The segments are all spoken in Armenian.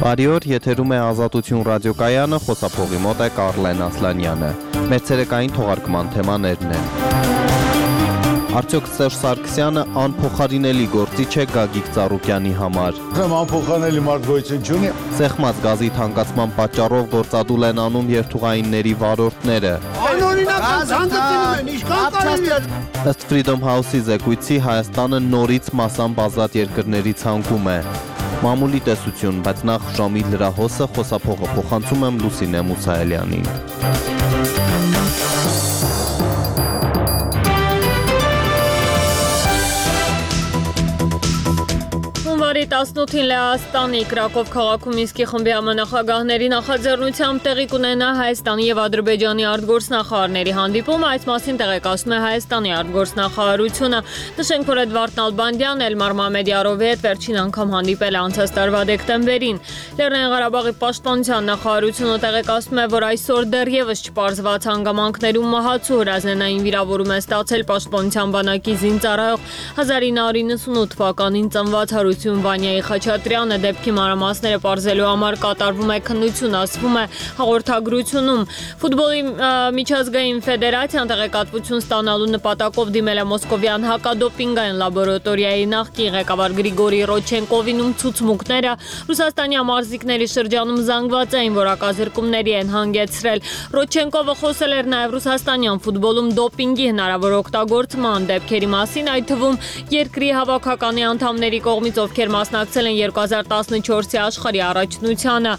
Բարի օր, եթերում է Ազատություն ռադիոկայանը, խոսափողի մոտ է Կարլեն Ասլանյանը։ Մեր ցերեկային թողարկման թեմաներն են։ Արդյոք Սերժ Սարգսյանը անփոխարինելի գործիչ է Գագիկ Ծառուկյանի համար։ Անփոխարինելի մարդ գոյություն չունի։ Սեղմած գազի թանկացման պատճառով գործադուլ են անում երթուղայինների վարորդները։ Անօրինական ցանկացնում են, ինչքան կարելի է։ Ըստ Freedom House-ի զեկույցի Հայաստանը նորից մասամբ ազատ երկրների ցանկում է։ Մամուլի տեսություն, բայց նախ ժամի լրահոսը խոսափողը փոխանցում եմ Լուսինե Մուսայելյանին։ Հունվարի 18-ին Լեհաստանի Կրակով քաղաքում Մինսկի խմբի համանախագահների նախաձեռնությամբ տեղի կունենա Հայաստանի եւ Ադրբեջանի արտգործնախարարների հանդիպումը, այս մասին տեղեկացնում է Հայաստանի արտգործնախարարությունը։ Նշենք, որ Էդվարդ Նալբանդյանն Էլմար Մամեդյարովի հետ վերջին անգամ հանդիպել է անցած տարվա դեկտեմբերին։ Լեռնային Ղարաբաղի պաշտպանության նախարարությունը տեղեկացնում է, որ այսօր դեռևս չպարզված հանգամանքներում մահացու հրազենային վիրավորում է ստացել պաշտպանության բանակի զինծառայող 1998 թվականին ծնված Հարություն Վանյայի Խաչատրյանը, դեպքի մանրամասները պարզելու համար կատարվում է քննություն, ասվում է հաղորդագրությունում։ Ֆուտբոլի միջազգային ֆեդերացիան տեղեկատվություն ստանալու նպատակով դիմել է մոսկովյան հակադոպինգային լաբորատորիայի նախկին ղեկավար Գրիգորի Ռոչենկովին, ցուցմունքները Ռուսաստանի ամարզիկների շրջանում զանգվածային որակազրկումների են հանգեցրել։ Ռոչենկովը խոսել էր նաև ռուսաստանյան ֆուտբոլում դոպինգի հնարավոր օգտագործման դեպքերի մասին, այդ թվում երկրի հավաքականի անդամների կողմից, ովքեր մասնակցել են 2014-ի աշխարհի առաջնությանը։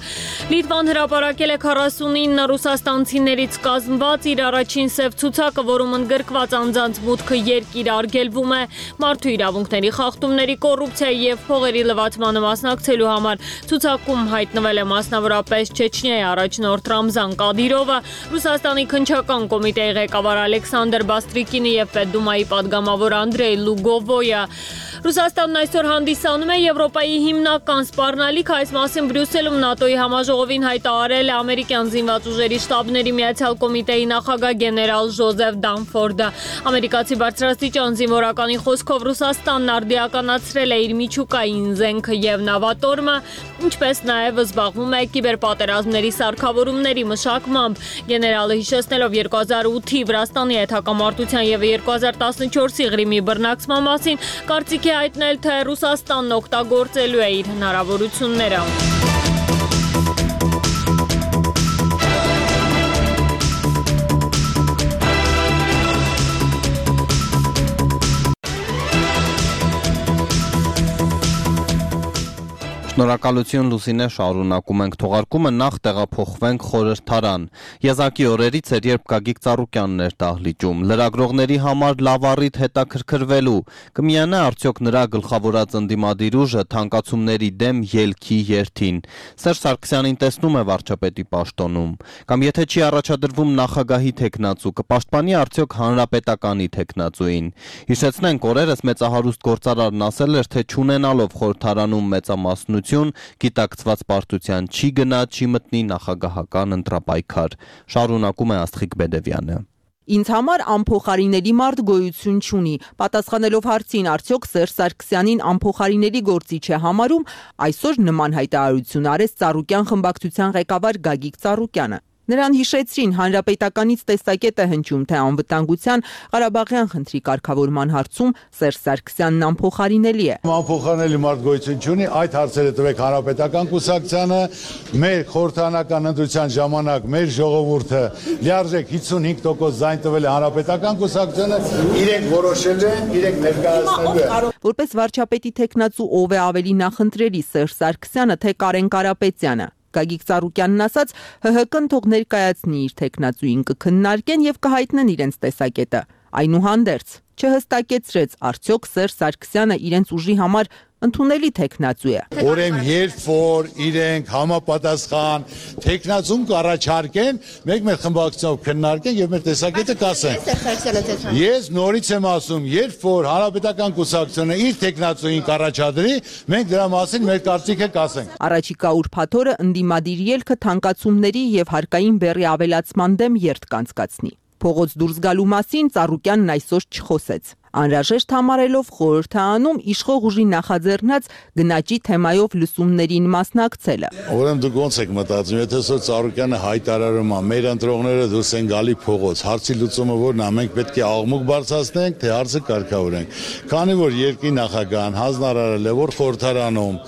Լիտվան հրապարակել է 49 ռուսաստանցիներից կազմված իր առաջին սև ցուցակը, որում ընդգրկված անձանց մուտքը երկիր արգելվում է մարդու իրավունքների խախտումների, կոռուպցիայի եւ փողերի լվացմանը մասնակցելու համար։ Ցուցակում հայտնվել է մասնավորապես Չեչնիայի առաջնորդ Ռամզան Կադիրովը, Ռուսաստանի քննչական կոմիտեի ղեկավար Ալեքսանդր Բաստրիկինը եւ Պետդումայի падգամավոր Անդրեյ Լուգովոյը։ Ռուսաստանն այսօր հանդիսանում է Եվրոպայի հիմնական սպառնալիքը, այս մասին Բրյուսելում ՆԱՏՕ-ի համաժողովին հայտարարել է ամերիկյան զինված ուժերի շտաբների միացյալ կոմիտեի նախագահ գեներալ Ջոզեֆ Դանֆորդը։ Ամերիկացի բարձրաստիճան զինվորականի խոսքով Ռուսաստանն արդիականացրել է իր միջուկային զենքը եւ նավատորմը, ինչպես նաեւ զբաղվում է կիբերպատերազմների սարքավորումների մշակմամբ։ Գեներալը հիշեցնելով 2008-ի Վրաստանի հետ հակամարտության եւ 2014-ի Ղրիմի բռնակցման մասին, կարծիք է հայտնել, թե Ռուսաստանն օգտագործելու է իր հնարավորությունները։ Շնորհակալություն Լուսինե, շարունակում ենք թողարկումը, նախ տեղափոխվենք խորհրդարան։ Եզակի օրերից էր, երբ Գագիկ Ծառուկյանն էր դահլիճում։ Լրագրողների համար լավ առիթ հետաքրքրվելու, կմիանա արդյոք նրա գլխավորած ընդդիմադիր ուժը թանկացումների դեմ ելքի երթին։ Սերժ Սարգսյանին տեսնում է վարչապետի պաշտոնում, կամ եթե չի առաջադրվում նախագահի թեկնածու, կպաշտպանի արդյոք հանրապետականի թեկնածուին։ Հիշեցնենք, օրերս մեծահարուստ գործարարն ասել էր, թե չունենալով խորհրդարանում մեծամասնություն, գիտակցված պարտության չի գնա, չի մտնի նախագահական ընտրապայքար։ Շարունակում է Աստղիկ Բեդևյանը։ Ինձ համար անփոխարինելի մարդ գոյություն չունի։ Պատասխանելով հարցին, արդյոք Սերժ Սարգսյանին անփոխարինելի գործիչ է համարում, այսօր նման հայտարարություն արեց Ծառուկյան խմբակցության ղեկավար Գագիկ Ծառուկյանը։ Նրան հիշեցրին, հանրապետականից տեսակետ է հնչում, թե անվտանգության Ղարաբաղյան խնդրի կարգավորման հարցում Սերժ Սարգսյանն անփոխարինելի է։ Անփոխարինելի մարդ գոյություն չունի, այդ հարցերը տվեք հանրապետական կուսակցությանը, մեր խորհրդարանական ընտրության ժամանակ մեր ժողովուրդը լիարժեք 55% ձայն տվել է հանրապետական կուսակցությանը, իրենք որոշել են, իրենք ներկայացնելու են։ Որպես վարչապետի թեկնածու ով է ավելի նախընտրելի, Սերժ Սարգսյանը, թե Կարեն Կարապետյանը։ Գագիկ Ծառուկյանն ասաց, ՀՀԿ-ն թող ներկայացնի իր թեկնածուին, կքննարկեն եւ կհայտնեն իրենց տեսակետը։ Այնուհանդերձ չհստակեցրեց, արդյոք Սերժ Սարգսյանը իրենց ուժի համար ընդունելի թեկնածու է։ Ուրեմն երբ որ իրենք համապատասխան թեկնածուն կառաջարկեն, մենք մեր խմբակցությամբ քննարկենք եւ մեր տեսակետը կասենք։ Ես նորից եմ ասում, երբ որ հանրապետական կուսակցությունը իր թեկնածուին կառաջադրի, մենք դրա մասին մեր կարծիքը կասենք։ Առաջիկա ուրբաթ օրը ընդդիմադիր ելքը թանկացումների եւ հարկային բեռի ավելացման դեմ երթ կանցկացնի։ Փողոց դուրս գալու մասին Ծառուկյանն այսօր չխոսեց։ Անհրաժեշտ համարելով խորհուրդ է անում իշխող ուժի նախաձեռնած գնաճի թեմայով լսումներին մասնակցելը։ Ուրեմն դուք ոնց եք մտածում, եթե սա Ծառուկյանը հայտարարում է, մեր ընտրողները դուրս են գալի փողոց, հարցի լուծումը որն է, մենք պետք է աղմուկ բարձրացնենք, թե հարցը կարգավորենք։ Քանի որ երկրի նախագահան հանձնարարել է, որ խորհրդարանում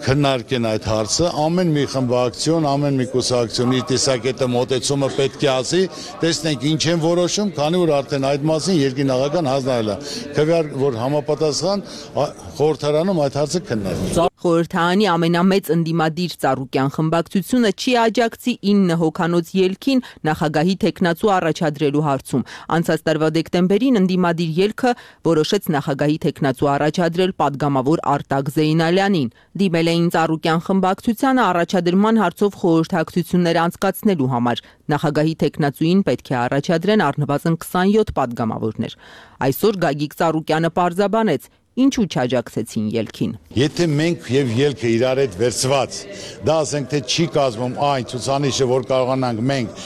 քննարկեն այդ հարցը, ամեն մի խմբակցություն, ամեն մի կուսակցություն իր տեսակետը մոտեցումը պետք է ասի, տեսնենք ինչ են որոշում, քանի որ արդեն այդ մասին երկրի նախագահան հանձնարարել է, քվեար որ համապատասխան խորհրդարանում այդ հարցը քննարկվի։ Խորհրդարանի ամենամեծ ընդդիմադիր Ծառուկյան խմբակցությունը չի աջակցի 9 հոգանոց ելքին նախագահի թեկնածու առաջադրելու հարցում։ Անցած տարվա դեկտեմբերին ընդդիմադիր ելքը որոշեց նախագահի թեկնածու առաջադրել падգամավոր Արտակ Զեյնալյանին։ Դիմել էին Ծառուկյան խմբակցությանը առաջադրման հարցով խորհրդակցություններ անցկացնելու համար։ Նախագահի թեկնածուին պետք է առաջադրեն առնվազն 27 падգամավորներ։ Այսօր Գագիկ Ծառուկյանը պարզաբանեց, ինչու չաջակցեցին ելքին։ Եթե մենք եւ ելքը իրար հետ վերցված, դա ասենք թե չի կազմում այն ցուցանիշը, որ կարողանանք մենք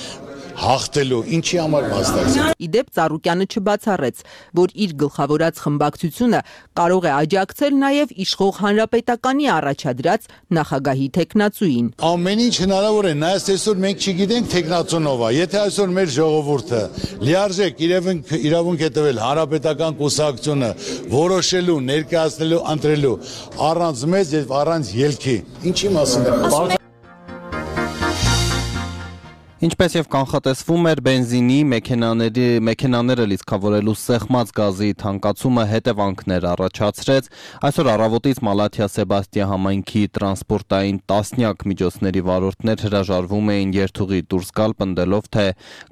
հաղթելու, ինչի համար մասնակցել։ Իդեպ Ծառուկյանը չբացառեց, որ իր գլխավորած խմբակցությունը կարող է աջակցել նաև իշխող հանրապետականի առաջադրած նախագահի թեկնածուին։ Ամեն ինչ հնարավոր է, նայած այսօր մենք չգիտենք թեկնածունով է։ Եթե այսօր մեր ժողովուրդը լիարժեք իրավունք է տվել հանրապետական կուսակցությունը որոշելու, ներկայացնելու, ընտրելու առանց մեզ եւ առանց ելքի, ինչի մասին է։ Ինչպես եւ կանխատեսվում էր, բենզինի մեքենաները լիցքավորելու սեղմած գազի թանկացումը հետևանքներ առաջացրեց։ Այսօր առավոտից Մալաթիա Սեբաստիա համայնքի տրանսպորտային տասնյակ միջոցների վարորդներ հրաժարվում էին երթուղի դուրս գալ, պնդելով, թե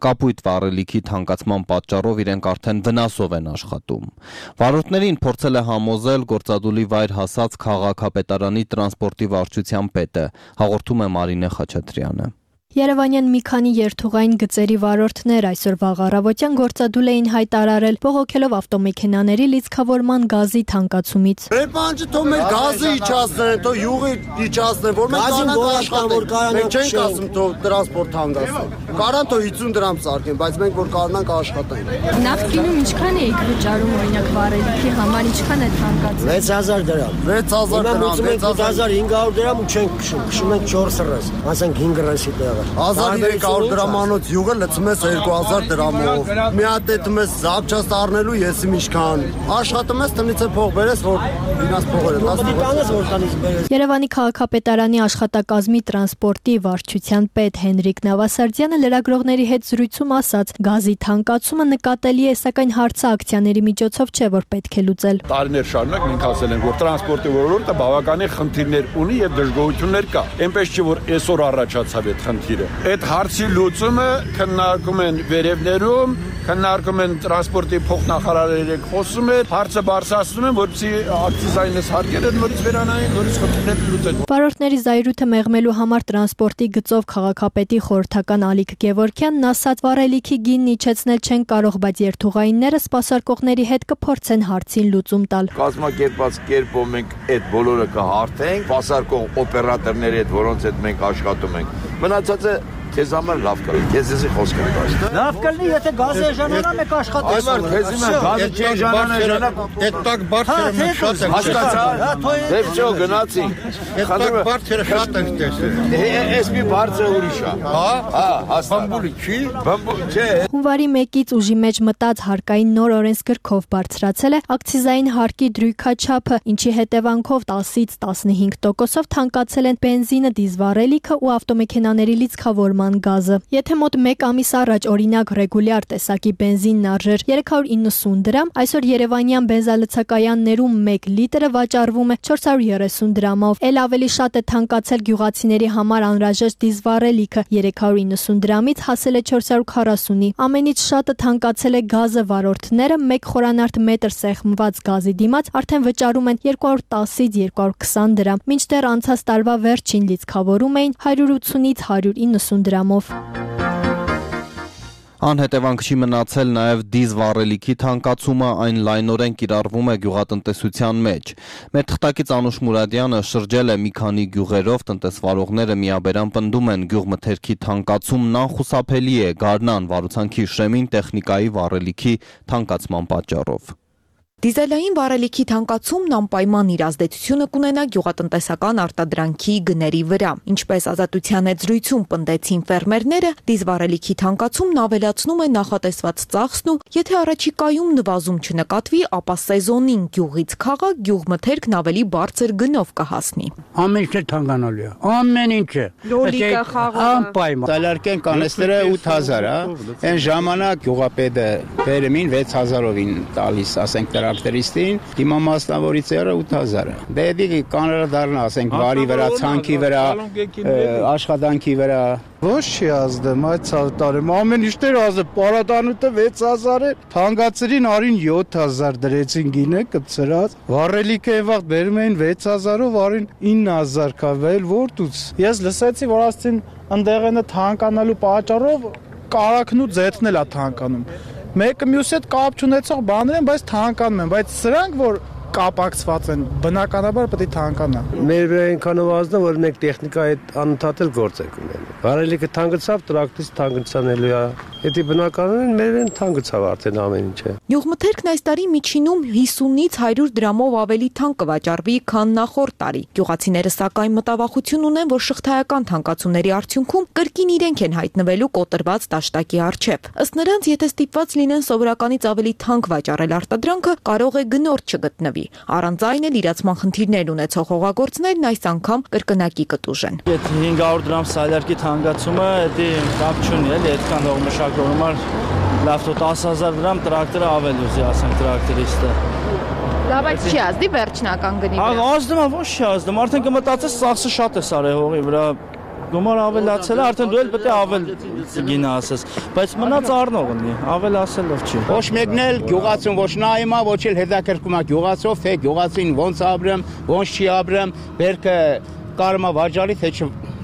կապույտ վառելիքի թանկացման պատճառով իրենք արդեն վնասով են աշխատում։ Վարորդներին փորձել է համոզել գործադուլի վայր հասած քաղաքապետարանի տրանսպորտի վարչության պետը, հաղորդում է Մարինե Խաչատրյանը։ Երևանյան մի քանի երթուղային գծերի վարորդներ այսօր վաղ առավոտյան գործադուլ էին հայտարարել, բողոքելով ավտոմեքենաների լիցքավորման գազի թանկացումից։ Ռեպանջը թող մեր գազը իջացնեն, թող յուղը իջացնեն, որ մենք կարողանանք աշխատել։ Մենք չենք ասում թող տրանսպորտ թանկացնեն։ Կարան թող 50 դրամ սարքեն, բայց մենք որ կարողանանք աշխատենք։ Նավթինում ինչքան էիք վճարում օրինակ վառելիքի համար, ինչքան է թանկացել։ 6000 դրամ։ 6000 դրամ, 6500 դրամ ու չենք քշում, քշում ենք 4 ռես, ասենք 5 ռեսի տեղը։ 1300 դրամանոց յուղը լցում ես 2000 դրամով։ Մի հատ դետում ես զապչաստ առնելու եսի ինչքան։ Աշխատում ես տնից փող բերես, որ ինաս փողերը տանես, որ տանից բերես։ Երևանի քաղաքապետարանի աշխատակազմի տրանսպորտի վարչության պետ Հենրիկ Նավասարդյանը լրագրողների հետ զրույցում ասաց, գազի թանկացումը նկատելի է, սակայն հարցը ակցիաների միջոցով չէ, որ պետք է լուծել։ Տարիներ շարունակ մենք ասել ենք, որ տրանսպորտի ոլորտը բավականին խնդիրներ ունի եւ դժգոհություններ կա։ Այնպես չէ, որ այսօր առաջացավ այդ խնդիրը։ Այդ հարցի լուծումը քննարկում են վերևներում, քննարկում են տրանսպորտի փոխնախարարների հետ խոսում են, հարցը բարձրացնում են, որպեսզի ակցիզային հարկերը նորից վերանային, նորից խնդիրները լուծեն։ Վարորդների զայրույթը մեղմելու համար տրանսպորտի գծով քաղաքապետի խորհրդական Ալիկ Գևորգյանն ասաց, վառելիքի գինն իջեցնել չեն կարող, բայց երթուղայինները սպասարկողների հետ կփորձեն հարցին լուծում տալ։ Կազմակերպած կերպով մենք այդ բոլորը կհարթենք, սպասարկող օպերատորների հետ, որոնց հետ մենք աշխատում ենք։ Մնացածը քեզ համար լավ կլինի, քեզ էսի խոսք եմ տալիս։ Լավ կլինի, եթե գազը էժանանա, մենք աշխատենք։ Այո, քեզ հիմա գազը չի էժանանա, Այդ տակ բարձրը մենք շատ ենք հասկացա։ Դե վճո գնացի։ Այդ տակ բարձրը շատ ենք տեսել։ Էս մի բարձր ուրիշ է։ Հա, հաստատ։ Բամբուլի չի։ Բամբուլ չէ։ Հունվարի 1-ից ուժի մեջ մտած հարկային նոր օրենսգրքով բարձրացել է ակցիզային հարկի դրույքաչափը, ինչի հետևանքով 10-ից 15%-ով թանկացել են բենզինը, դիզվառելիքը ու ավտոմեքենաների լիցքավորման գազը։ Եթե մոտ 1 ամիս առաջ օրինակ ռեգուլյար տեսակի բենզինն արժեր 390 դրամ, այսօր երևանյան բենզալցակայաններում 1 լիտրը վաճառվում է 430 դրամով։ Էլ ավելի շատ է թանկացել գյուղացիների համար անհրաժեշտ դիզվառելիքը 390 դրամից հասել է 440-ի։ Ամենից շատը թանկացել է գազը, վարորդները 1 խորանարդ մետր սեղմված գազի դիմաց արդեն վճարում են 210-ից 220 դրամ, մինչդեռ անցած տարվա վերջին լիցքավորում էին 180-ից 190 դրամով։ Անհետևանք չի մնացել նաև դիզվառելիքի թանկացումը, այն լայնորեն կիրառվում է գյուղատնտեսության մեջ։ Մեր թղթակից Անուշ Մուրադյանը շրջել է մի քանի գյուղերով, տնտեսվարողները միաբերան պնդում են գյուղմթերքի թանկացումն անխուսափելի է Գարնան Վարուցանքի Շեմին տեխնիկայի վառելիքի թանկացման պատճառով։ Դիզելային վառելիքի թանկացումն անպայման իր ազդեցությունը կունենա գյուղատնտեսական արտադրանքի գների վրա։ Ինչպես Ազատության հետ զրույցում պնդեցին ֆերմերները, դիզվառելիքի թանկացումն ավելացնում է նախատեսված ծախսն ու եթե առաջիկայում նվազում չնկատվի, ապա սեզոնին գյուղից քաղաք գյուղմթերքն ավելի բարձր գնով կհասնի։ Ամեն ինչ թանկանալու է։ Ամեն ինչը։ Լոլիկը, խաղողը։ Անպայման։ Սալարկեն կանեստերը 8000 է։ Այն ժամանակ գյուղապետը վերեմին 6000-ով տալիս, ասենք տրակտորիստին, հիմա մասնավորիցերը 8000 է։ Դե դի կաները դառնա, ասենք վարի վրա, ցանքի վրա, աշխատանքի վրա։ Ոչ չի ազդեմ այդ տարում ամեն ինչներ ազդեմ պարադանուտը 6000 է թանկացրին արին 7000 դրեցին գինը կծրած վառելիքը այն վաղ բերում էին 6000-ով արին 9000 կավել որտուց ես լսեցի որ ասցին ընդեղենը թանկանալու պատճառով կարակն ու ձեթն էլ է թանկանում մեկը մյուսի հետ կապ չունեցող բաներ են բայց թանկանում են բայց սրանք որ կապակցված են բնականաբար պետք է թանկանա մեր վրա այնքանով ազդա որ մենք տեխնիկայի հետ անընդհատ գործենք ունենում վառելիքը թանկացավ տրակտորից թանկացնելու է եթե բնականորեն մեր վրան թանկացավ արդեն ամեն ինչը Գյուղմթերքն այս տարի միջինում 50-ից 100 դրամով ավելի թանկ կվաճառվի քան նախորդ տարի գյուղացիները սակայն մտավախություն ունեն որ շղթայական թանկացումների արդյունքում կրկին իրենք են հայտնվելու կոտրված դաշտակի առջև ըստ նրանց եթե ստիպված լինեն սովորականից ավելի թանկ վաճառել արտադրանքը կարող է գնորդ չգտնվի Առանց այն էլ իրացման խնդիրներ ունեցող հողագործներն այս անգամ կրկնակի կտուժեն։ Այդ 500 դրամ սալարկի թանկացումը դա կապ չունի, էլի այդքան հող մշակողի համար լավ 10000 դրամ տրակտորը ավելի ուզի, ասենք տրակտորիստը։ Լավ, բայց չի ազդի վերջնական գնի վրա։ Ազդում է, ոչ չի ազդում, արդեն կմտածես ծախսը շատ է սարի հողի վրա։ Գումար ավելացել է, արդեն դու էլ պետք է ավել գինը ասես, բայց մնաց առնողն է, ավելացելով չի։ Ոչ մեկն էլ գյուղացուն ոչ նայում է, ոչ էլ հետաքրքրում է գյուղացով, թե գյուղացին ոնց ապրեմ, ոնց չի ապրեմ, բերքը կարում է վաճառի, թե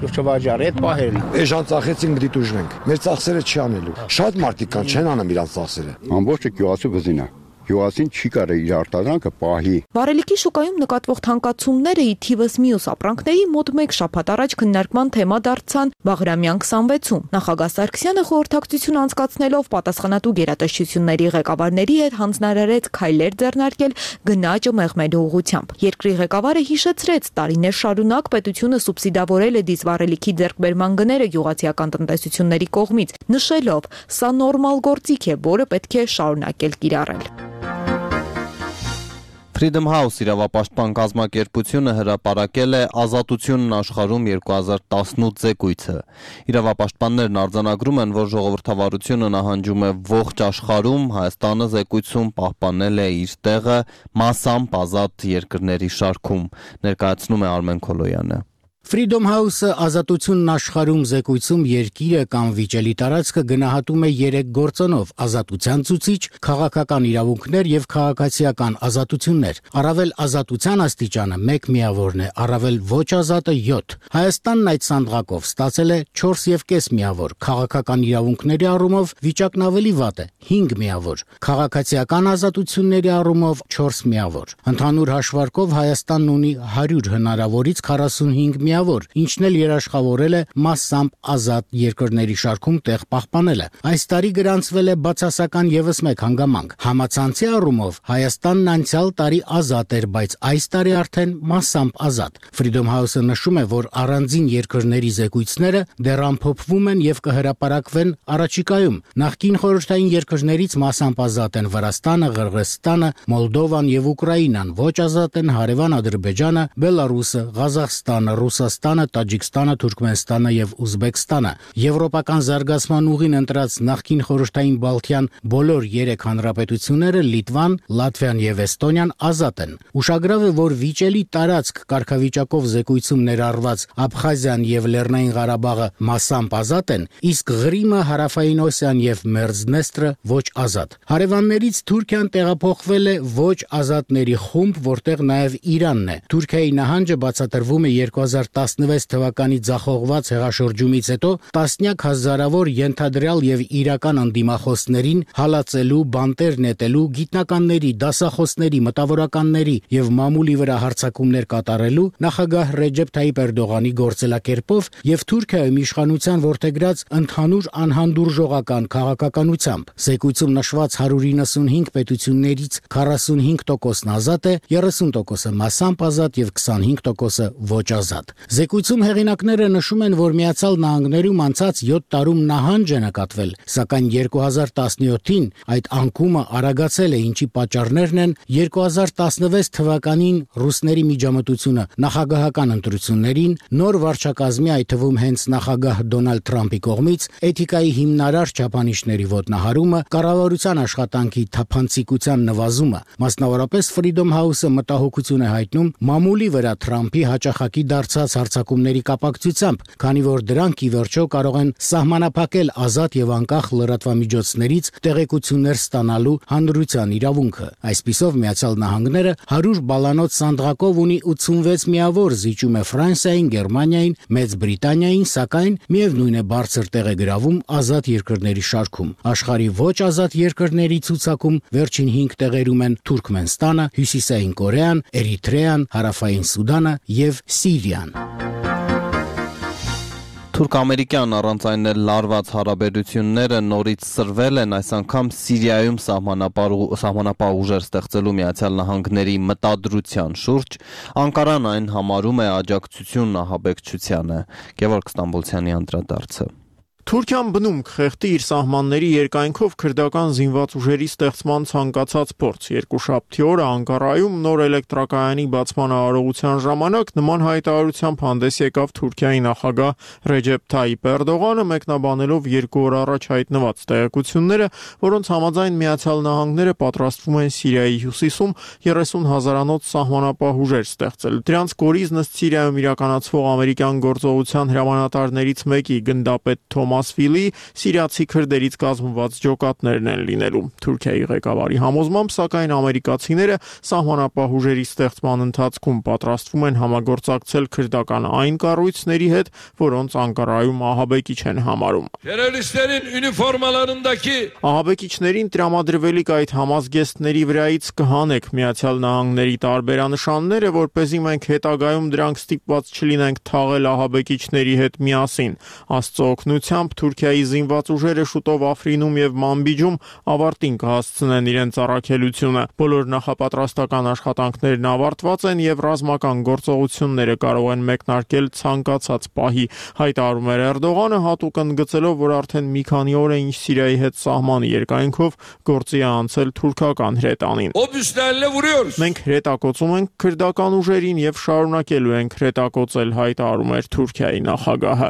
չվաճառի, այդ պահերն։ Էժան ծախեցին գդի դուժվենք։ Մեր ծախսերը չի անելու։ Շատ մարդիկ կան, չեն անում իրանց ծախսերը։ Ամբողջը գյուղացու գզին է։ Գյուղացին չի կարող իր արտադրանքը պահի։ Վառելիքի շուկայում նկատվող թանկացումները ի թիվս մյուս ապրանքների մոտ 1 շաբաթ առաջ քննարկման թեմա դարձան Բաղրամյան 26-ում։ Նախագահ Սարգսյանը խորհրդակցություն անցկացնելով պատասխանատու գերատեսչությունների ղեկավարների հետ հանձնարարեց քայլեր ձեռնարկել գնաճը մեղմելու ուղղությամբ։ Երկրի ղեկավարը հիշեցրեց տարիներ շարունակ պետությունը սուբսիդավորել է դիզվառելիքի ձեռքբերման գները գյուղացիական տնտեսությունների կողմից, նշելով՝ սա նորմալ գործիք է, որը պետք է շարունակել կիրառել։ Freedom House իրավապաշտպան կազմակերպությունը հրապարակել է Ազատությունն աշխարհում 2018 զեկույցը։ Իրավապաշտպաններն արձանագրում են, որ ժողովրդավարությունը նահանջում է ողջ աշխարհում, Հայաստանը զեկույցում պահպանել է իր տեղը մասամբ ազատ երկրների շարքում, ներկայացնում է Արմեն Քոլոյանը։ Freedom House-ը Ազատությունն աշխարհում զեկույցում երկիրը կամ վիճելի տարածքը գնահատում է 3 գործոնով՝ ազատության ցուցիչ, քաղաքական իրավունքներ եւ քաղաքացիական ազատություններ։ Առավել ազատության աստիճանը 1 միավորն է, առավել ոչ ազատը 7։ Հայաստանն այդ սանդղակով ստացել է 4.5 միավոր, քաղաքական իրավունքների առումով վիճակն ավելի վատ է՝ 5 միավոր, քաղաքացիական ազատությունների առումով 4 միավոր։ Ընդհանուր հաշվարկով Հայաստանն ունի 100 հնարավորից 45 միավոր, ինչն էլ երաշխավորել է մասամբ ազատ երկրների շարքում տեղ պահպանելը։ Այս տարի գրանցվել է բացասական եւս մեկ հանգամանք։ Համացանցի առումով Հայաստանն անցյալ տարի ազատ էր, բայց այս տարի արդեն մասամբ ազատ։ Freedom House-ը նշում է, որ առանձին երկրների զեկույցները դեռ ամփոփվում են եւ կհրապարակվեն առաջիկայում։ Նախկին խորհրդային երկրներից մասամբ ազատ են Վրաստանը, Ղրղըզստանը, Մոլդովան եւ Ուկրաինան, ոչ ազատ են հարևան Ադրբեջանը, Բելարուսը, Ղազախստանը, Ռուսաստանը, Տաջիկստանը, Թուրքմենստանը եւ Ուզբեկստանը։ Եվրոպական զարգացման ուղին ընտրած նախկին խորհրդային Բալթյան բոլոր 3 հանրապետությունները Լիտվան, Լատվիան եւ Էստոնիան ազատ են։ Ուշագրավ է, որ վիճելի տարածք կարգավիճակով զեկույցում ներառված Աբխազիան եւ Լեռնային Ղարաբաղը մասամբ ազատ են, իսկ Ղրիմը, Հարավային Օսիան եւ Մերձդնեստրը ոչ ազատ։ Հարևաններից Թուրքիան տեղափոխվել է ոչ ազատների խումբ, որտեղ նաեւ Իրանն է։ Թուրքիայի նահանջը բացատրվում է 2016 թվականի ձախողված հեղաշրջումից հետո տասնյակ հազարավոր ենթադրյալ եւ իրական անդիմախոսներին հալածելու, բանտեր նետելու, գիտնականների, դասախոսների, մտավորականների եւ մամուլի վրա հարձակումներ կատարելու նախագահ Ռեջեփ Թայիպ Էրդողանի գործելակերպով եւ Թուրքիայում իշխանության որդեգրած ընդհանուր անհանդուրժողական քաղաքականությամբ։ Զեկույցում նշված 195 պետություններից 45%-ն ազատ է, 30%-ը մասամբ ազատ եւ 25%-ը ոչ ազատ։ Զեկույցում հեղինակները նշում են, որ Միացյալ Նահանգներում անցած 7 տարում նահանջ է նկատվել, սակայն 2017-ին այդ անկումը արագացել է, ինչի պատճառներն են 2016 թվականին ռուսների միջամտությունը նախագահական ընտրություններին, նոր վարչակազմի, այդ թվում հենց նախագահ Դոնալդ Թրամփի կողմից էթիկայի հիմնարար չափանիշների ոտնահարումը, կառավարության աշխատանքի թափանցիկության նվազումը, մասնավորապես Freedom House-ը մտահոգություն է հայտնում մամուլի վրա Թրամփի հաճախակի դարձած հարձակումների կապակցությամբ, քանի որ դրանք ի վերջո կարող են սահմանափակել ազատ եւ անկախ լրատվամիջոցներից տեղեկություններ ստանալու հանրության իրավունքը։ Այսպիսով Միացյալ Նահանգները 100 բալանոց սանդղակով ունի 86 միավոր, զիջում է Ֆրանսիային, Գերմանիային, Մեծ Բրիտանիային, սակայն միևնույն է բարձր տեղ է գրավում ազատ երկրների շարքում։ Աշխարհի ոչ ազատ երկրների ցուցակում վերջին 5 տեղերում են Թուրքմենստանը, Հյուսիսային Կորեան, Էրիթրեան, Հարավային Սուդանը եւ Սիրիան։ Թուրք-ամերիկյան առանց այն լարված հարաբերությունները նորից սրվել են, այս անգամ Սիրիայում սահմանապահ ուժեր ստեղծելու Միացյալ Նահանգների մտադրության շուրջ, Անկարան այն համարում է աջակցություն ահաբեկչությանը։ Գևորգ Ստամբոլցյանի անդրադարձը։ Թուրքիան բնում կխեղդի իր սահմանների երկայնքով քրդական զինված ուժերի ստեղծման ցանկացած փորձ։ Երկուշաբթի օրը Անկարայում նոր էլեկտրակայանի բացման արարողության ժամանակ նման հայտարարությամբ հանդես եկավ Թուրքիայի նախագահ Ռեջեփ Թայիպ Էրդողանը, մեկնաբանելով 2 օր առաջ հայտնված տեղեկությունները, որոնց համաձայն Միացյալ Նահանգները պատրաստվում են Սիրիայի հյուսիսում 30,000-անոց սահմանապահ ուժեր ստեղծել։ Դրանց կորիզն ըստ Սիրիայում իրականացվող ամերիկյան գործողության հրամանատարներից մեկի գնդապետ Թոմաս Ֆիլի սիրիացի քրդերից կազմված ջոկատներն են լինելու։ Թուրքիայի ղեկավարի համոզմամբ, սակայն ամերիկացիները սահմանապահ ուժերի ստեղծման ընթացքում պատրաստվում են համագործակցել քրդական այն կառույցների հետ, որոնց Անկարայում ահաբեկիչ են համարում։ Ահաբեկիչներին տրամադրվելիք այդ համազգեստների վրայից կհանեք Միացյալ Նահանգների տարբերանշանները, որպեսզի մենք հետագայում դրանք ստիպված չլինենք թաղել ահաբեկիչների հետ միասին։ Աստծո օգնությամբ Թուրքիայի զինված ուժերը շուտով Աֆրինում եւ Մանբիջում ավարտին կհասցնեն իրենց առաքելությունը։ Բոլոր նախապատրաստական աշխատանքներն ավարտված են եւ ռազմական գործողությունները կարող են մեկնարկել ցանկացած պահի, հայտարարում էր Էրդողանը, հատուկ ընդգծելով, որ արդեն մի քանի օր է ինչ Սիրիայի հետ սահմանի երկայնքով գործի է անցել թուրքական հրետանին։ Մենք հրետակոծում ենք քրդական ուժերին եւ շարունակելու ենք հրետակոծել, հայտարարում էր Թուրքիայի նախագահը։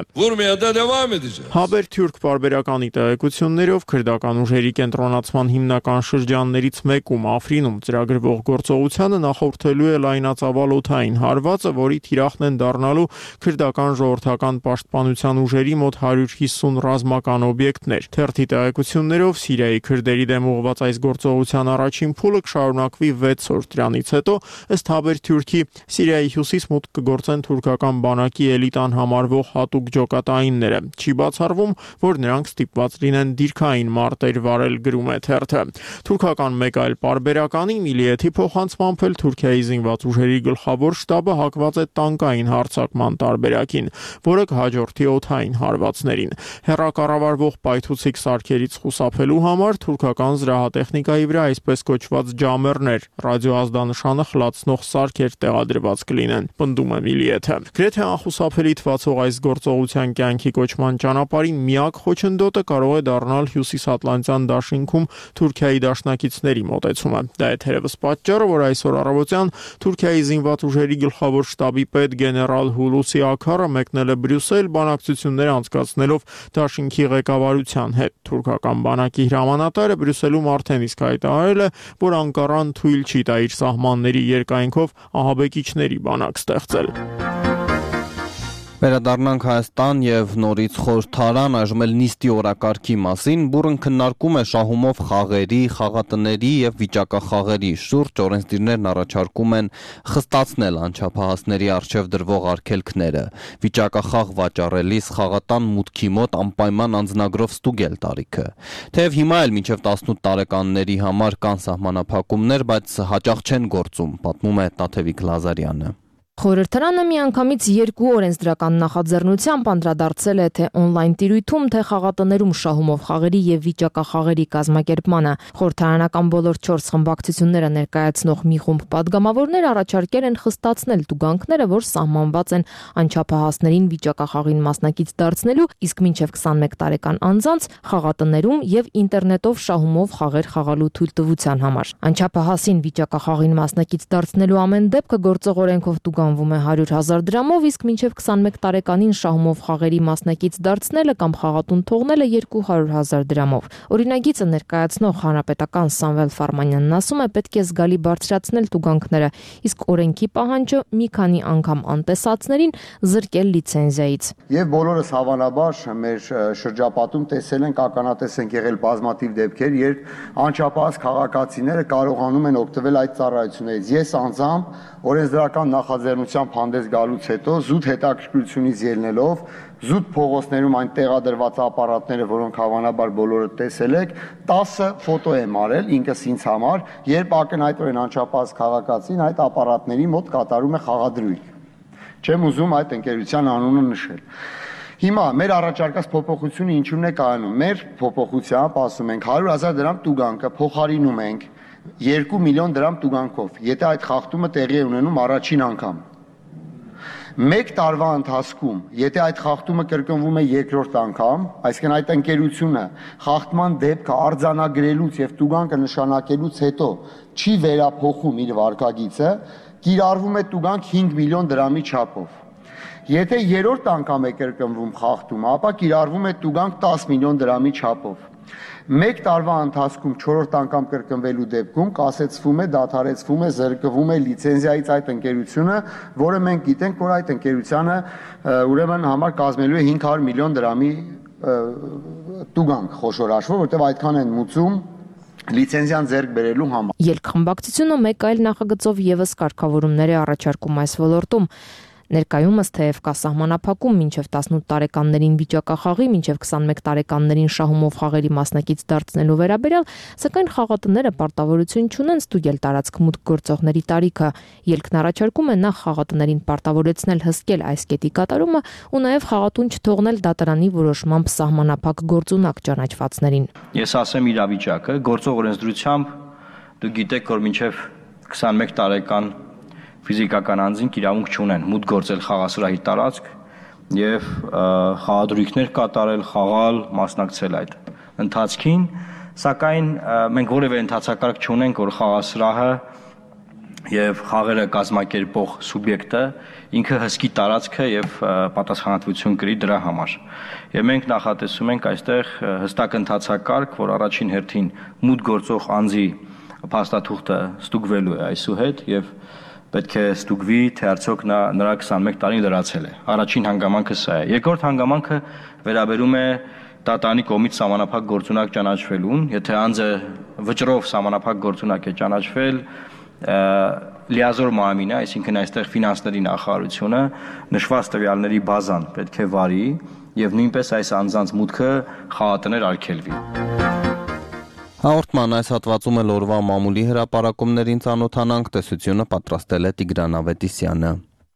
Հաբերթյուրք պարբերականի տեղեկություններով քրդական ուժերի կենտրոնացման հիմնական շրջաններից մեկում Աֆրինում ծրագրվող գործողությանը նախորդելու է լայնածավալ օդային հարվածը, որի թիրախն են դառնալու քրդական ժողովրդական պաշտպանության ուժերի մոտ 150 ռազմական օբյեկտներ։ Թերթի տեղեկություններով Սիրիայի քրդերի դեմ ուղղված այս գործողության առաջին փուլը կշարունակվի 6 օր։ Դրանից հետո, ըստ Հաբերթյուրքի, Սիրիայի հյուսիս մուտք կգործեն թուրքական բանակի էլիտան համարվող հատուկ ջոկատայինները։ Չի բացառվում, որ նրանք ստիպված լինեն դիրքային մարտեր վարել, գրում է թերթը։ Թուրքական մեկ այլ պարբերականի Միլիեթի փոխանցմամբ էլ Թուրքիայի զինված ուժերի գլխավոր շտաբը հակված է տանկային հարձակման տարբերակին, որը կհաջորդի օդային հարվածներին։ Հեռակառավարվող պայթուցիկ սարքերից խուսափելու համար թուրքական զրահատեխնիկայի վրա այսպես կոչված ջամերներ, ռադիոազդանշանը խլացնող սարքեր տեղադրված կլինեն, պնդում է Միլիեթը։ Գրեթե անխուսափելի թվացող այս գործողության կյանքի կոչման ճանապարհին միակ խոչընդոտը կարող է դառնալ Հյուսիսատլանտյան դաշինքում Թուրքիայի դաշնակիցների մոտեցումը։ Դա է թերևս պատճառը, որ այսօր առավոտյան Թուրքիայի զինված ուժերի գլխավոր շտաբի պետ գեներալ Հուլուսի Աքարը մեկնել է Բրյուսել բանակցություններ անցկացնելով դաշինքի ղեկավարության հետ։ Թուրքական բանակի հրամանատարը Բրյուսելում արդեն իսկ հայտարարել է, որ Անկարան թույլ չի տա իր սահմանների երկայնքով ահաբեկիչների բանակ ստեղծել։ Վերադառնանք Հայաստան եւ նորից խորհրդարան, այժմ էլ նիստի օրակարգի մասին, բուրըն քննարկում է շահումով խաղերի, խաղատների եւ վիճակախաղերի շուրջ օրենսդիրներն առաջարկում են խստացնել անչափահասների առջեւ դրվող արգելքները, վիճակախաղ վաճառելիս խաղատան մուտքի մոտ անպայման անձնագրով ստուգել տարիքը։ Թեև հիմա էլ մինչեւ 18 տարեկանների համար կան սահմանափակումներ, բայց հաճախ չեն գործում, պատմում է Տաթևիկ Լազարյանը։ Խորհրդարանը միանգամից երկու օրենսդրական նախաձեռնությամբ անդրադարձել է թե օնլայն տիրույթում, թե խաղատներում շահումով խաղերի եւ վիճակախաղերի կազմակերպմանը։ Խորհրդարանական բոլոր 4 խմբակցությունները ներկայացնող մի խումբ падգամավորներ առաջարկել են խստացնել տուգանքները, որ սահմանված են անչափահասներին վիճակախաղին մասնակից դարձնելու, իսկ մինչեւ 21 տարեկան անձանց խաղատներում եւ ինտերնետով շահումով խաղեր խաղալու թույլտվության համար։ Անչափահասին վիճակախաղին մասնակից դարձնելու ամեն դեպքը գործող օրենքով տուգան վում է 100,000 դրամով, իսկ մինչև 21 տարեկանին շահումով խաղերի մասնակից դարձնելը կամ խաղատուն թողնելը 200,000 դրամով։ Օրինագիծը ներկայացնող հանրապետական Սամվել Ֆարմանյանն ասում է, պետք է զգալի բարձրացնել տուգանքները, իսկ օրենքի պահանջը մի քանի անգամ անտեսածներին զրկել լիցենզիայից։ Եվ բոլորս հավանաբար մեր շրջապատում տեսել ենք, ականատես ենք եղել բազմաթիվ դեպքեր, երբ անչափահաս քաղաքացիները կարողանում են օգտվել այդ ծառայություններից։ Ես անձամբ օրենսդրական նախաձեռնությամբ հանդես գալուց հետո զուտ հետաքրքրությունից ելնելով զուտ փողոցներում այն տեղադրված ապարատները, որոնք հավանաբար բոլորը տեսել եք, 10 ֆոտո եմ արել ինքս ինձ համար, երբ ակնհայտորեն անչափահաս քաղաքացին այդ ապարատների մոտ կատարում է խաղադրույք։ Չեմ ուզում այդ ընկերության անունը նշել։ Հիմա մեր առաջարկած փոփոխությունը ինչու՞ն է կայանում։ Մեր փոփոխությամբ ասում ենք 100,000 դրամ տուգանքը փոխարինում ենք 2 միլիոն դրամ տուգանքով, եթե այդ խախտումը տեղի է ունենում առաջին անգամ։ Մեկ տարվա ընթացքում, եթե այդ խախտումը կրկնվում է երկրորդ անգամ, այսինքն այդ ընկերությունը խախտման դեպքը արձանագրելուց եւ տուգանքը նշանակելուց հետո չի վերափոխում իր վարկագիծը, կիրառվում է տուգանք 5 միլիոն դրամի չափով։ Եթե երրորդ անգամ է կրկնվում խախտումը, ապա կիրառվում է տուգանք 10 միլիոն դրամի չափով։ Մեկ տարվա ընթացքում 4-րդ անգամ կրկնվելու դեպքում կասեցվում է, դադարեցվում է, զրկվում է լիցենզիայից այդ ընկերությունը, որը մենք գիտենք, որ այդ ընկերությանը ուրեմն համար կազմելու է 500 միլիոն դրամի տուգանք խոշոր հաշվով, որտեղ այդքան են մուծում լիցենզիան ձեռք բերելու համար։ Երկխմբակցությունը մեկ այլ նախագծով եւս կարգավորումներ է առաջարկում այս ոլորտում։ Ներկայումս թեև կա սահմանափակում մինչև 18 տարեկաններին վիճակախաղի, մինչև 21 տարեկաններին շահումով խաղերի մասնակից դարձնելու վերաբերյալ, սակայն խաղատները պարտավորություն չունեն ստուգել տարածք մուտք գործողների տարիքը։ Ելքն առաջարկում է նախ խաղատներին պարտավորեցնել հսկել այս կետի կատարումը ու նաև խաղատուն չթողնել դատարանի որոշմամբ սահմանափակ գործունակ ճանաչվածներին։ Ես ասեմ իրավիճակը, գործող օրենսդրությամբ դուք գիտեք, որ մինչև 21 տարեկան ֆիզիկական անձինք իրավունք չունեն մուտք գործել խաղասրահի տարածք եւ խաղադրույքներ կատարել, խաղալ, մասնակցել այդ ընթացքին, սակայն մենք որևէ ընթացակարգ չունենք, որ խաղասրահը եւ խաղերը կազմակերպող սուբյեկտը ինքը հսկի տարածքը եւ պատասխանատվություն կրի դրա համար։ Եվ մենք նախատեսում ենք այստեղ հստակ ընթացակարգ, որ առաջին հերթին մուտք գործող անձի փաստաթուղթը ստուգվելու է այսուհետ եւ պետք է ստուգվի, թե արդյոք նրա 21 տարին լրացել է։ Առաջին հանգամանքը սա է։ Երկրորդ հանգամանքը վերաբերում է դատարանի կողմից սահմանափակ գործունակ ճանաչվելուն, եթե անձը վճռով սահմանափակ գործունակ է ճանաչվել, լիազոր մամին է, այսինքն այստեղ ֆինանսների նախարարությունը նշված տվյալների բազան պետք է վարի եւ նույնպես այս անձանց մուտքը խաղատներ արգելվի։ Հաղորդման այս հատվածում էլ օրվա մամուլի հրապարակումներին ծանոթանանք, տեսությունը պատրաստել է Տիգրան Ավետիսյանը։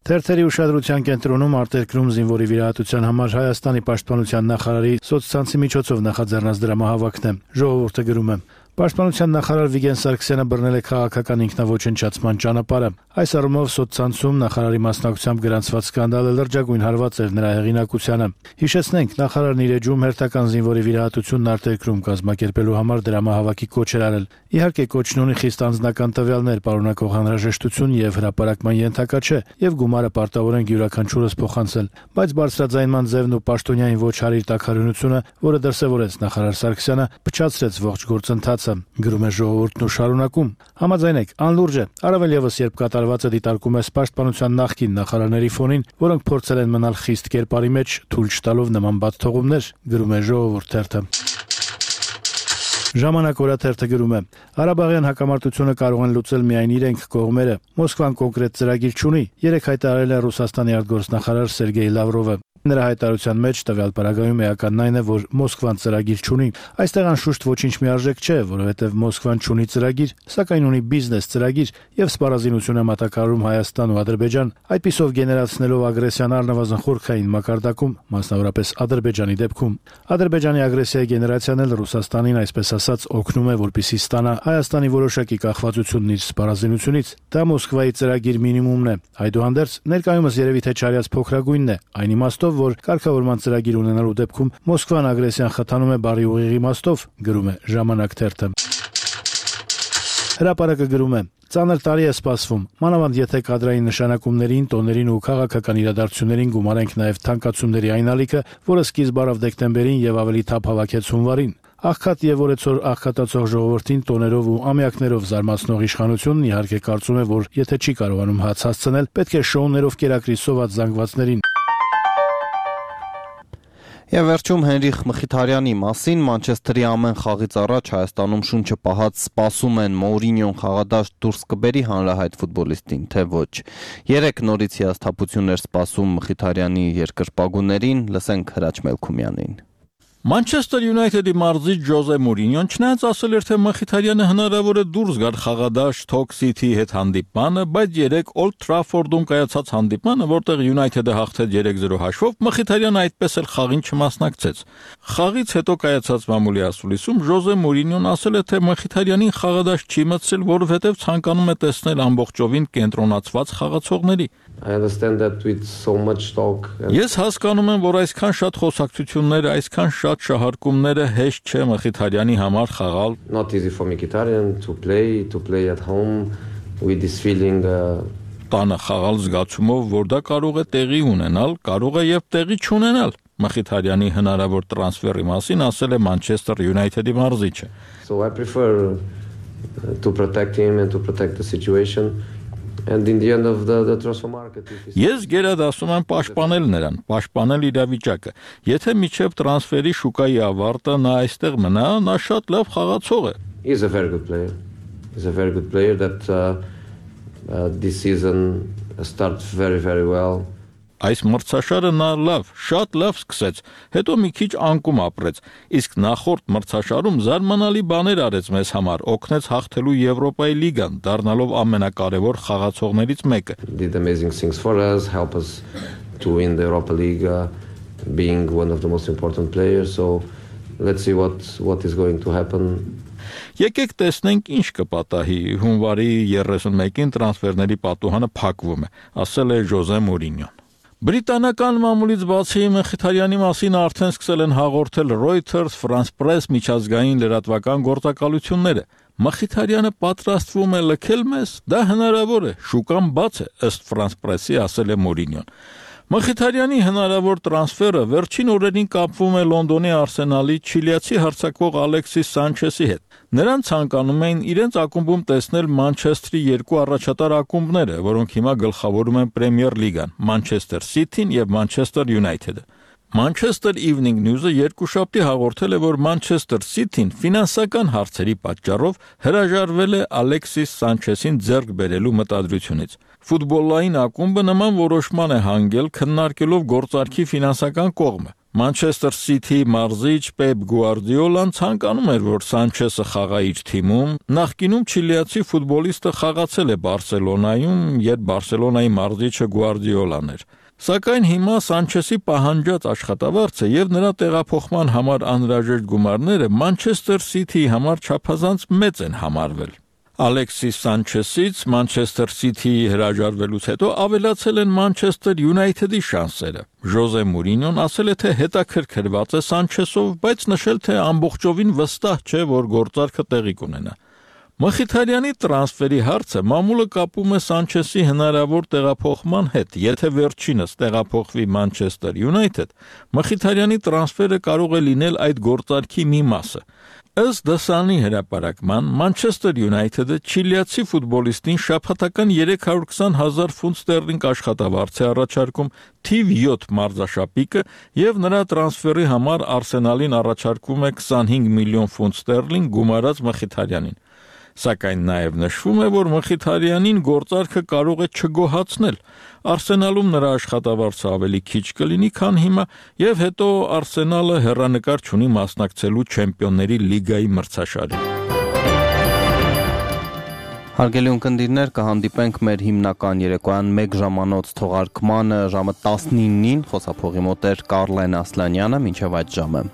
Թերթերի ուշադրության կենտրոնում արտերկրում զինվորի վիրահատության համար Հայաստանի պաշտպանության նախարարի սոցցանցի միջոցով նախաձեռնած դրամահավաքն է։ Ժողովուրդը գրում է. Պաշտպանության նախարար Վիգեն Սարգսյանը բռնել է քաղաքական ինքնաոչնչացման ճանապարհը։ Այս առումով սոցցանցում նախարարի մասնակցությամբ գրանցված սկանդալը լրջագույն հարված էր նրա հեղինակությանը։ Հիշեցնենք, նախարարն իր էջում հերթական զինվորի վիրահատությունն արտերկրում կազմակերպելու համար դրամահավաքի կոչ էր արել։ Իհարկե, կոչն ունի խիստ անձնական տվյալներ պարունակող անհրաժեշտություն եւ հրապարակման ենթակա չէ, եւ գումարը պարտավոր են յուրաքանչյուրս փոխանցել, բայց բարձրաձայնման ձևն ու պաշտոնյային ոչ հարիր տաքարյունությունը, որը դրսևորեց նախարար Սարգսյանը, փչացրեց ողջ գործընթացը։ հարցը, գրում է Ժողովուրդն ու շարունակում. Համաձայն եք, անլուրջ է, առավել եւս երբ կատարվածը դիտարկում է պաշտպանության նախկին նախարարների ֆոնին, որոնք փորձել են մնալ խիստ կերպարի մեջ, թույլ չտալով նման բաց թողումներ, գրում է Ժողովուրդ թերթը։ Ժամանակ օրաթերթը գրում է. Ղարաբաղյան հակամարտությունը կարող են լուծել միայն իրենք կողմերը։ Մոսկվան կոնկրետ ծրագիր չունի, երեք հայտարարել է Ռուսաստանի արտգործնախարար Սերգեյ Լավրովը։ Նրա հայտարարության մեջ տվյալ պարագայում էականն այն է, որ Մոսկվան ծրագիր չունի։ Այստեղ անշուշտ ոչինչ միարժեք չէ, որովհետև Մոսկվան չունի ծրագիր, սակայն ունի բիզնես ծրագիր եւ սպառազինություն է մատակարարում Հայաստան ու Ադրբեջան, այդպիսով գեներացնելով ագրեսիան առնվազն խորքային մակարդակում, մասնավորապես Ադրբեջանի դեպքում։ Ադրբեջանի ագրեսիայի գեներացիան էլ Ռուսաստանին, այսպես ասած, օգնում է, որպեսզի ստանա Հայաստանի որոշակի կախվածությունն իր սպառազինությունից։ Դա Մոսկվայի ծրագիր մինիմումն է։ Այդուհանդերձ, ներկայումս երևի թե չարյաց փոքրագույնն է, այն իմաստով, որ կարգավորման ծրագիր ունենալու դեպքում Մոսկվան ագրեսիան խթանում է բարի ուղիղ իմաստով, գրում է Ժամանակ թերթը։ Հրապարակը գրում է. Ծանր տարի է սպասվում, մանավանդ եթե կադրային նշանակումներին, տոներին ու քաղաքական իրադարձություններին գումարենք նաև թանկացումների այն ալիքը, որը սկիզբ առավ դեկտեմբերին եւ ավելի թափ հավաքեց հունվարին։ Աղքատ եւ օրեցօր աղքատացող ժողովրդին տոներով ու ամյակներով զարմացնող իշխանությունն իհարկե կարծում է, որ եթե չի կարողանում հաց հասցնել, պետք է շոուներով կերակրի սոված զանգվածներին։ Եվ վերջում Հենրիխ Մխիթարյանի մասին Մանչեսթերի ամեն խաղից առաջ Հայաստանում շունչը պահած սպասում են Մոուրինյոն խաղադաշտ դուրս կբերի հանրահայտ ֆուտբոլիստին, թե ոչ։ 3 նորից հիասթափություններ սպասում Մխիթարյանի երկրպագուներին, լսենք Հրաչ Մելքումյանին։ Մանչեսթեր Յունայթեդի մարզիչ Ջոզե Մուրինյոն չնայած ասել էր, թե Մխիթարյանը հնարավոր է դուրս գար խաղադաշտ Stoke City-ի հետ հանդիպմանը, բայց 3 Old Trafford-ում կայացած հանդիպմանը, որտեղ Յունայթեդը հաղթեց 3-0 հաշվով, Մխիթարյանը այդպես էլ խաղին չմասնակցեց։ Խաղից հետո կայացած մամուլի ասուլիսում Ջոզե Մուրինյոն ասել է, թե Մխիթարյանին խաղադաշտ չի մտցրել, որովհետև ցանկանում է տեսնել ամբողջովին կենտրոնացված խաղացողների։ Ես հասկանում եմ, որ այսքան շատ խոսակցություններ, այսքան շատ շահարկումները հեշտ չէ Մխիթարյանի համար խաղալ։ Not easy for Mkhitaryan to play at home with this feeling տանը խաղալ զգացումով, որ դա կարող է տեղի ունենալ, կարող է եւ տեղի չունենալ։ Մխիթարյանի հնարավոր տրանսֆերի մասին ասել է Manchester United-ի մարզիչը։ So I prefer to protect him and to protect the situation. And in the end of the transfer market. Ես գերադասում եմ պաշտպանել նրան, պաշտպանել իրավիճակը։ Եթե միջև տրանսֆերի շուկայի ավարտը նա այստեղ մնա, նա շատ լավ խաղացող է։ He's a very good player. He's a very good player that this season starts very well. Այս մրցաշարը նա շատ լավ սկսեց, հետո մի քիչ անկում ապրեց, իսկ նախորդ մրցաշարում զարմանալի բաներ արեց մեզ համար, օգնեց հաղթելու Եվրոպայի լիգան, դառնալով ամենակարևոր խաղացողներից մեկը։ Did amazing things for us, help us to win the Europa League, being one of the most important players. So let's see what is going to happen. Եկեք տեսնենք ինչ կպատահի։ Հունվարի 31-ին տրանսֆերների պատուհանը փակվում է, ասել է Ջոզե Մուրինյոն։ Բրիտանական մամուլից բացի Մխիթարյանի մասին արդեն սկսել են հաղորդել Reuters, France Press միջազգային լրատվական գործակալությունները։ Մխիթարյանը պատրաստվում է լքել մեզ, դա հնարավոր է, շուկան բաց է, ըստ France Press-ի ասել է Մուրինյոն։ Մխիթարյանի հնարավոր տրանսֆերը վերջին օրերին կապվում է Լոնդոնի Արսենալի չիլիացի հարձակվող Ալեքսիս Սանչեսի հետ։ Նրան ցանկանում էին իրենց ակումբում տեսնել Մանչեսթերի 2 առաջատար ակումբները, որոնք հիմա գլխավորում են Պրեմիեր լիգան՝ Մանչեսթեր Սիթին եւ Մանչեսթեր Յունայթեդը։ Manchester Evening News-ը երկուշաբթի հաղորդել է, որ Manchester City-ն ֆինանսական հարցերի պատճառով հրաժարվել է Ալեքսիս Սանչեսին ձեռք բերելու մտադրությունից։ Ֆուտբոլային ակումբը նման որոշման է հանգել, քննարկելով գործարքի ֆինանսական կողմը։ Manchester City մարզիչ Պեպ Գուարդիոլան ցանկանում էր, որ Սանչեսը խաղա իր թիմում։ Նախկինում չիլիացի ֆուտբոլիստը խաղացել է Բարսելոնայում, երբ Բարսելոնայի մարզիչը Գուարդիոլան էր։ Սակայն հիմա Սանչեսի պահանջած աշխատավարձը եւ նրա տեղափոխման համար անհրաժեշտ գումարները Manchester City-ի համար չափազանց մեծ են համարվել։ Ալեքսիս Սանչեսից Manchester City-ի հրաժարվելուց հետո ավելացել են Manchester United-ի շանսերը։ Ջոզե Մուրինյոն ասել է, թե հետաքրքրված է Սանչեսով, բայց նշել, թե ամբողջովին վստահ չէ, որ գործարքը տեղի կունենա։ Մխիթարյանի տրանսֆերի հարցը մամուլը կապում է Սանչեսի հնարավոր տեղափոխման հետ, եթե վերջինս տեղափոխվի Մանչեսթեր Յունայթեդ, Մխիթարյանի տրանսֆերը կարող է լինել այդ գործարքի մի մասը։ Ըստ դասանի հրապարակման, Մանչեսթեր Յունայթեդը չիլիացի ֆուտբոլիստին շաբաթական 320,000 ֆունտ ստերլինգ աշխատավարձ է առաջարկում, թիվ 7 մարզաշապիկը եւ նրա տրանսֆերի համար Արսենալին առաջարկվում է 25 միլիոն ֆունտ ստերլինգ գումարած Մխիթարյանին։ Սակայն նաև նշվում է, որ Մխիթարյանին գործարքը կարող է չգոհացնել։ Արսենալում նրա աշխատավարձը ավելի քիչ կլինի, քան հիմա, եւ հետո Արսենալը հեռանկար չունի մասնակցելու Չեմպիոնների լիգայի մրցաշարին։ Հարգելի ունկնդիրներ, կհանդիպենք մեր հիմնական երեկոյան 1 ժամանոց թողարկմանը ժամը 19-ին, խոսափողի մոտ էր Կարլեն Ասլանյանը, մինչև այդ ժամը։